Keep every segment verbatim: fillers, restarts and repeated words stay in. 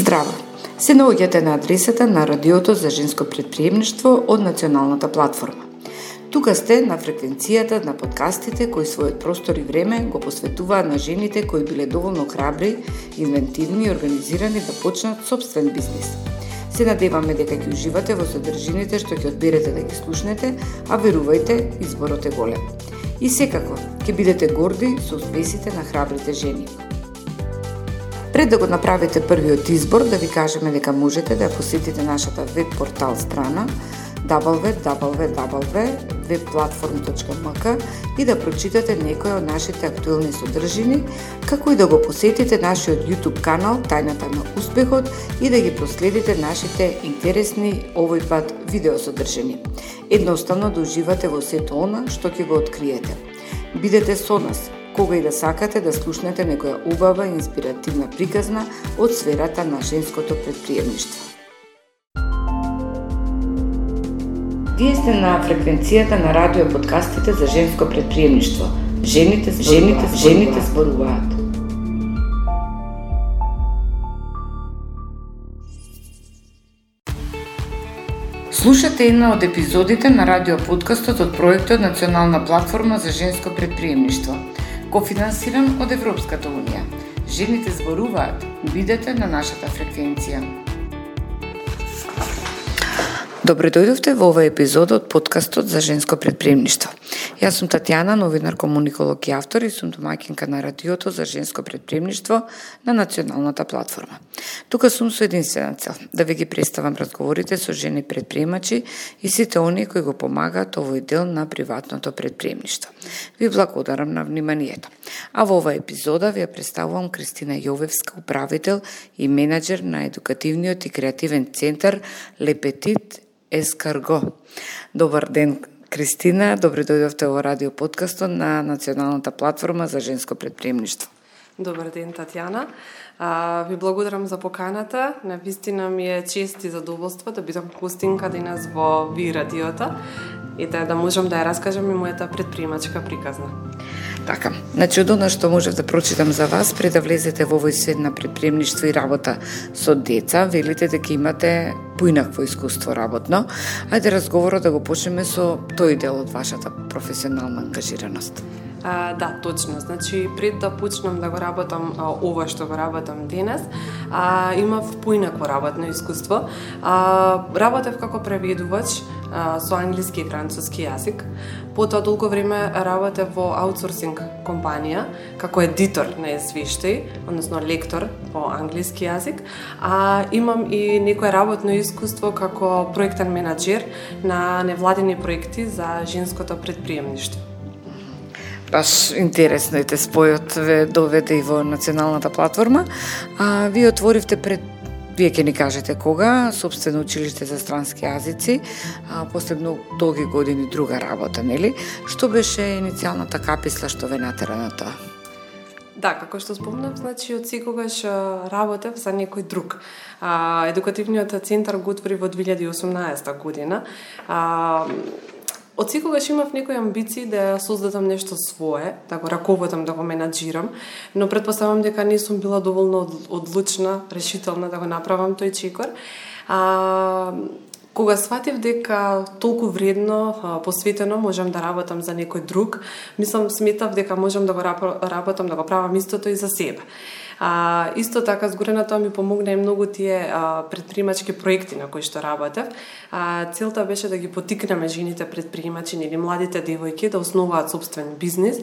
Здраво! Се наоѓате на адресата на Радиото за женско претприемништво од Националната платформа. Тука сте на фреквенцијата на подкастите кои својот простор и време го посветуваат на жените кои биле доволно храбри, инвентивни и организирани да почнат собствен бизнис. Се надеваме дека ќе уживате во содржините што ќе одберете да ги слушнете, а верувајте, изборот е голем. И секако, ќе бидете горди со успесите на храбрите жени. Пред да го направите првиот избор, да ви кажеме дека можете да посетите нашата веб портал страна дабл ю дабл ю дабл ю точка веб платформ точка ем ка и да прочитате некои од нашите актуелни содржини, како и да го посетите нашиот YouTube канал Тајната на успехот и да ги проследите нашите интересни овој пат видеосодржини. Едноставно да уживате во сето она што ќе го откриете. Бидете со нас кога и да сакате да слушнете некоја убава и инспиративна приказна од сферата на женското претприемништво. Вие сте на фреквенцијата на радио подкастите за женско претприемништво. Жените, жените, жените зборуваат. Слушате една од епизодите на радио подкастот од проектот Национална платформа за женско претприемништво, кофинансиран од Европската унија. Жените зборуваат. Бидете на нашата фреквенција. Добре дојдовте во овој епизод од подкастот за женско претприемништво. Јас сум Татјана, новинар, комуниколог и автор и сум домаќинка на Радиото за женско претприемништво на Националната платформа. Тука сум со единствена цел, да ви ги представам разговорите со жени предприемачи и сите оние кои го помагаат овој дел на приватното предприемништво. Ви благодарам на вниманието. А во оваа епизода ви ја представувам Кристина Јовевска, управител и менаџер на едукативниот и креативен центар Le Petit Escargot. Добар ден, Кристина, добре дојдовте во радио подкастот на Националната платформа за женско претприемништво. Добар ден, Татјана. А, ви благодарам за поканата. Навистина ми е чест и задоволство да бидам гостинка денес во ви радиото и да, да можам да ја раскажам и мојата предприемачка приказна. Така, значи од она што можев да прочитам за вас, пред да влезете во овој свет на претприемништво и работа со деца, велите дека имате поинакво искуство работно. Ајде разговорот да го почнеме со тој дел од вашата професионална ангажираност. А, да, точно. Значи, пред да почнам да го работам а, ова што го работам денес, а, имав поинакво работно искуство. А, работев како преведувач а, со англиски и француски јазик. Потоа толку време работев во аутсорсинг компанија како едитор на извештаи, односно лектор по англиски јазик. А имам и некое работно искуство како проектен менаџер на невладини проекти за женското претприемништво. Баш интересно е те спојот ве доведе и во Националната платформа. А вие отворивте пред, вие ќе ни кажете кога, собствено училиште за странски јазици, а последно долги години друга работа, нели? Што беше иницијалната каписла што ве натера на тоа? Да, како што спомнав, значи од секогаш работев за некој друг. А, едукативниот центар го отвори во две илјади и осумнаесета година. А, Од секогаш имав некои амбиции да создадам нешто свое, да го раководам, да го менаџирам, но предпоставам дека не сум била доволно одлучна, решителна да го направам тој чекор. А, кога сватив дека толку вредно, посветено можам да работам за некој друг, мислам, сметав дека можам да го работам, да го правам истото и за себе. А, исто така, згорена тоа ми помогна и многу тие а, предприемачки проекти на кои што работев. А, целта беше да ги потикнеме жените предприемачи или младите девојки да основаат собствен бизнис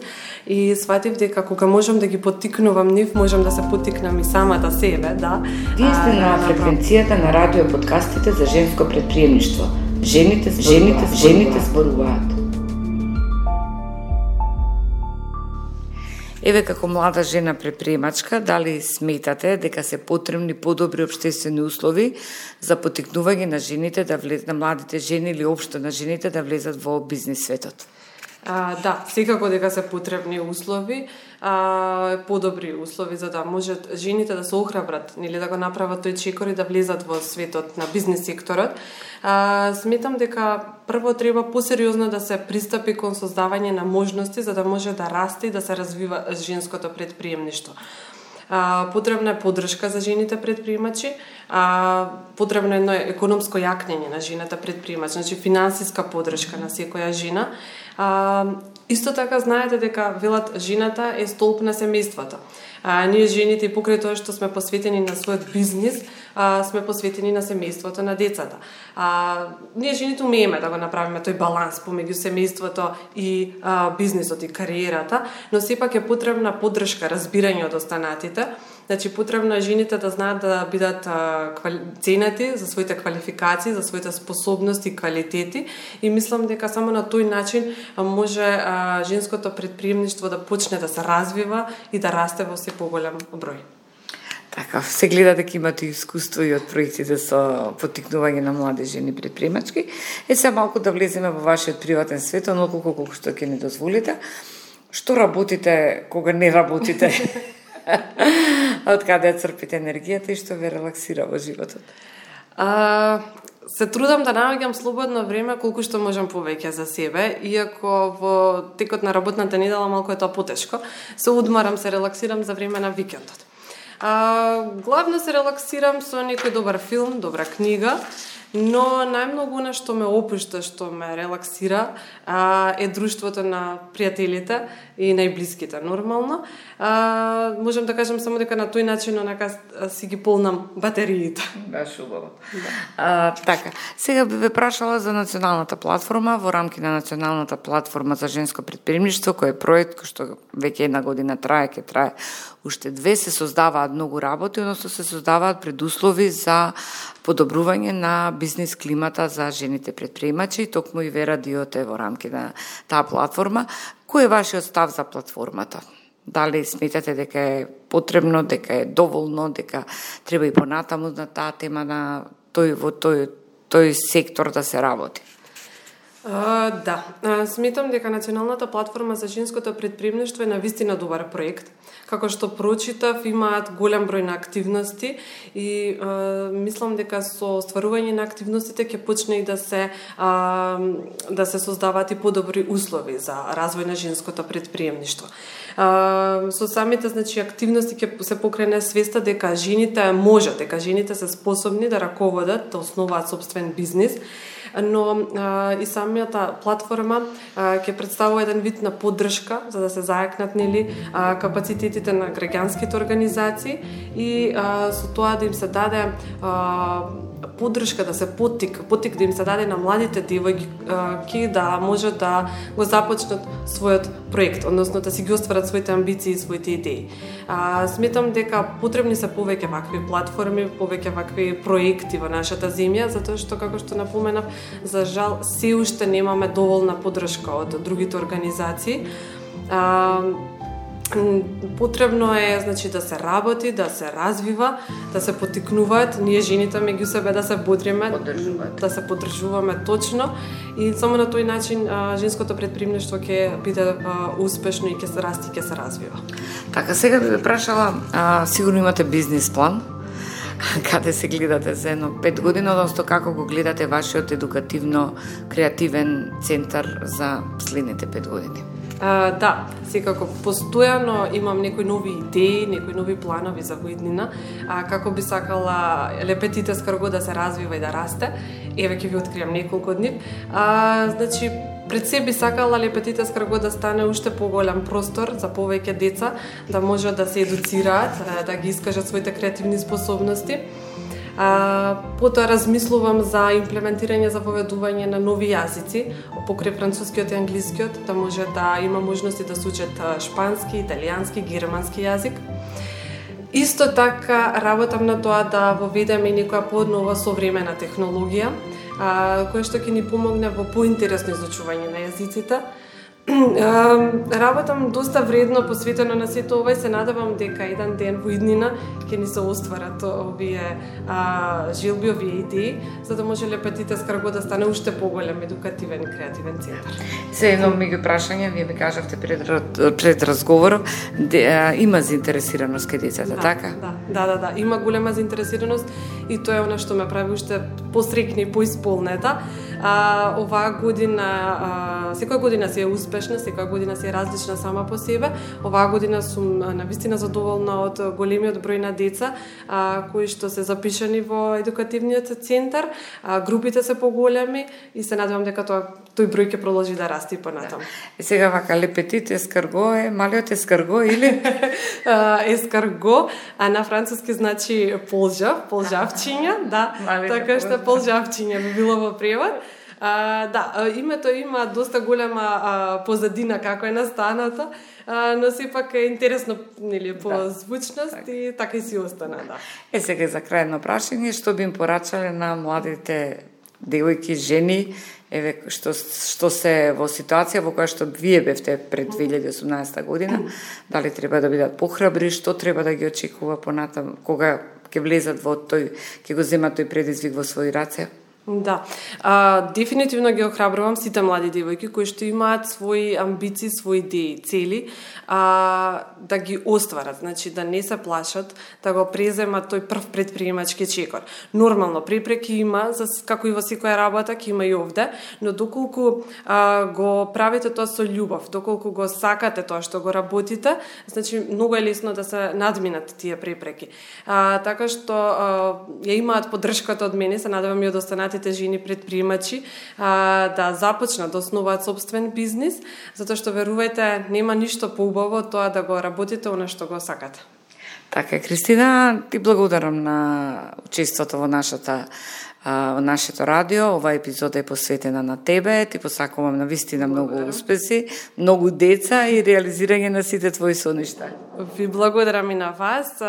и сватив дека кога можам да ги потикнувам нив, можам да се потикнам и самата себе, да. Вие сте на фреквенцијата на радио подкастите за женско претприемништво. Жените, жените, жените зборуваат. Еве, како млада жена предприемачка, дали сметате дека се потребни подобри општествени услови за потикнување на жените да влезат, на младите жени или општо на жените да влезат во бизнис светот? А, да, секако дека се потребни услови, а, подобри услови за да можат жените да се охрабрат, нели да го направат тој чекор и да влезат во светот на бизнис секторот. А, сметам дека прво треба посериозно да се пристапи кон создавање на можности за да може да расте и да се развива женското предприемништво. А, потребна е поддршка за жените предприемачи, а, потребно е едно економско јакнење на жената предприемач, значи финансиска поддршка на секоја жена. А, исто така знаете дека велат жената е столб на семејството. А, ние жените, покрај тоа што сме посветени на својот бизнис, а, сме посветени на семејството, на децата. А, ние жените умееме да го направиме тој баланс помеѓу семејството и а, бизнисот и кариерата, но сепак е потребна поддршка, разбирање од останатите. Значи, потребно е жените да знаат да бидат а, квали... ценети за своите квалификации, за своите способности и квалитети, и мислам дека само на тој начин а, може а, женското предприемништво да почне да се развива и да расте во се поголем број. Така, се гледа дека имате искуство и од проектите со поттикнување на млади жени предприемачки. Е, сега малку да влеземе во вашиот приватен свет, онолку колку што ќе ни дозволите. Што работите кога не работите? Од каде црпите енергијата и што ве релаксира во животот? А, се трудам да наоѓам слободно време колку што можам повеќе за себе, иако во текот на работната недела малку е тоа потешко. Се одмарам, се релаксирам за време на викендот. А, главно се релаксирам со некој добар филм, добра книга, но најмногу на што ме опушта, што ме релаксира, а, е друштвото на пријателите и најблиските, нормално. А, можам да кажам само дека на тој начин онака си ги полнам батериите. Баш убаво. Да. А, така, сега би ве прашала за националната платформа, во рамки на националната платформа за женско предприемништво, кој е проект кој што веќе една година трае, ќе трае уште две, се создаваат многу работи, односно се создаваат предуслови за подобрување на бизнис климата за жените предприемачи, и токму и ве радиото е во рамки на таа платформа. Кој е вашиот став за платформата? Дали сметате дека е потребно, дека е доволно, дека треба и понатаму на таа тема на тој во тој тој сектор да се работи? Uh, да, uh, сметам дека Националната платформа за женското предприемништво е навистина добар проект. Како што прочитав, имаат голем број на активности и uh, мислам дека со стварување на активностите ќе почне и да се uh, да се создаваат и подобри услови за развој на женското предприемништво. Uh, со самите, значи, активности ќе се покрене свеста дека жените можат, дека жените се способни да раководат, да основаат собствен бизнис, но а, и самата платформа а, ќе представува еден вид на поддршка за да се зајакнат, нели, а, капацитетите на граѓанските организации и а, со тоа да им се даде а, поддршка, да се поттик, поттик да им се даде на младите девојки да може да го започнат својот проект, односно да си ги остварат своите амбиции и своите идеи. А, сметам дека потребни се повеќе вакви платформи, повеќе вакви проекти во нашата земја, затоа што, како што напоменав, за жал се уште немаме доволна поддршка од другите организации. А, потребно е, значи, да се работи, да се развива, да се поттикнуваат ние жените меѓу себе, да се бодриме, да се поддржуваме точно, и само на тој начин а, женското предприемништво ќе биде а, успешно и ќе се расти, ќе се развива. Така, сега би ве прашала, а, сигурно имате бизнис план, каде се гледате за едно пет години, одnosno како го гледате вашиот едукативно-креативен центар за следните пет години? А, да, секако постојано имам некои нови идеи, некои нови планови за воиднина, а, како би сакала Лепетите Скрго да се развива и да расте. Еве ќе ви откриам неколку од нив. А, значи, пред се би сакала Лепетите Скрго да стане уште поголем простор за повеќе деца, да можат да се едуцираат, да ги искажат своите креативни способности. А, потоа размислувам за имплементирање, за воведување на нови јазици, покрај францускиот и англискиот, да може да има можности да се учат шпански, италијански, германски јазик. Исто така работам на тоа да воведеме и некоја поднова современа технологија, а, која што ќе ни помогне во поинтересно изучување на јазиците. Работам доста вредно посветено на сето ова и се надевам дека еден ден во иднина ќе ни се остварат овие а, желби, овие идеи, за да може Лепетите Скрго да стане уште поголем едукативен и креативен центар. Се едно меѓу прашање, вие ми кажавте пред, пред разговорот, де, а, има заинтересираност кај децата, да, така? Да, да, да, да, има голема заинтересираност и тоа е она што ме прави уште посрекна и поисполнета. А, оваа година, а, секоја година си е успешна, секоја година си е различна сама по себе. Оваа година сум навистина задоволна од големиот број на деца а, кои што се запишани во едукативниот центар. А, групите се поголеми и се надевам дека тоа тој број ќе продолжи да расте и понатаму. Да. И сега вака лепетит ескарго е малиот ескарго или ескарго, а на француски значи полжав, полжавчиња, да. Малите така што полжавчиња би било во превод. А, да, името има доста голема а, позадина како е настаната, а, но сепак е интересно, нели, по да. звучност так. И така и си остана, да. Е, сега за крајно прашање, што би им порачале на младите девојки, жени, еве што што се во ситуација во која што вие бевте пред две илјади и осумнаесета година, дали треба да бидат похрабри, што треба да ги очекува понатаму кога ќе влезат во тој, ќе го земат тој предизвик во своји раце? Да, а, дефинитивно ги охрабрувам сите млади девојки кои што имаат своји амбиции, своји идеи, цели, а, да ги остварат, значи да не се плашат, да го преземат тој прв предприемачки чекор. Нормално, препреки има, за, како и во секоја работа, ќе има и овде, но доколку а, го правите тоа со љубов, доколку го сакате тоа што го работите, значи многу е лесно да се надминат тие препреки. А, така што а, ја имаат поддршката од мене, се надевам и од останатите жени предприемачи а, да започнат да основаат собствен бизнис, затоа што верувајте, нема ништо поубаво од тоа да го работите она што го сакате. Така е, Кристина, ти благодарам на учеството во нашата во нашето радио. Ова епизода е посветена на тебе. Ти посакувам на вистина многу успеси, многу деца и реализирање на сите твои соништа. Ви благодарам и на вас.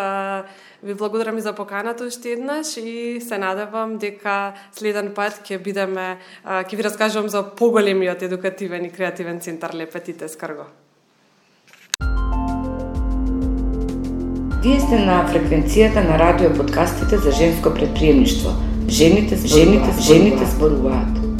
Ви благодарам и за поканата уште еднаш и се надевам дека следен пат ќе бидеме, ќе ви раскажувам за поголемиот едукативен и креативен центар Лепетит Ескарго. Вие сте на фреквенцијата на радио подкастите за женско предприемништво. Жените, жените, жените зборуваат.